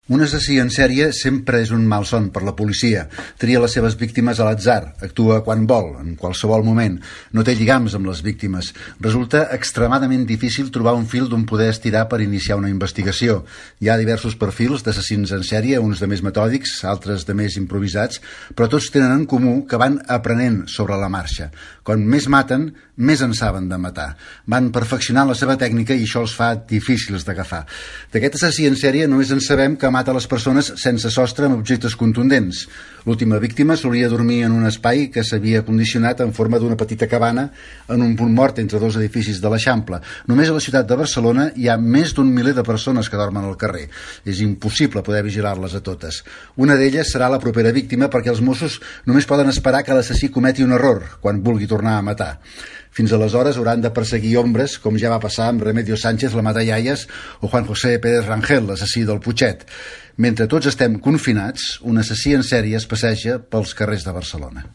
Un assassí en sèrie sempre és un malson per la policia. Tria les seves víctimes a l'atzar, actua quan vol, en qualsevol moment. No té lligams amb les víctimes. Resulta extremadament difícil trobar un fil d'on poder estirar per iniciar una investigació. Hi ha diversos perfils d'assassins en sèrie, uns de més metòdics, altres de més improvisats, però tots tenen en comú que van aprenent sobre la marxa. Quan més maten, més en saben de matar. Van perfeccionant la seva tècnica i això els fa difícils d'agafar. D'aquest assassí en sèrie només en sabem que mata les persones sense sostre amb objectes contundents. L'última víctima solia dormir en un espai que s'havia condicionat en forma d'una petita cabana en un punt mort entre dos edificis de l'Eixample. Només a la ciutat de Barcelona hi ha més d'un miler de persones que dormen al carrer. És impossible poder vigilar-les a totes. Una d'elles serà la propera víctima perquè els Mossos només poden esperar que l'assassí cometi un error quan vulgui tornar a matar. Fins aleshores hauran de perseguir ombres, com ja va passar amb Remedios Sánchez, la Matallaies, o Juan José Pérez Rangel, l'assassí del Putxet. Mentre tots estem confinats, un assassí en sèrie es passeja pels carrers de Barcelona.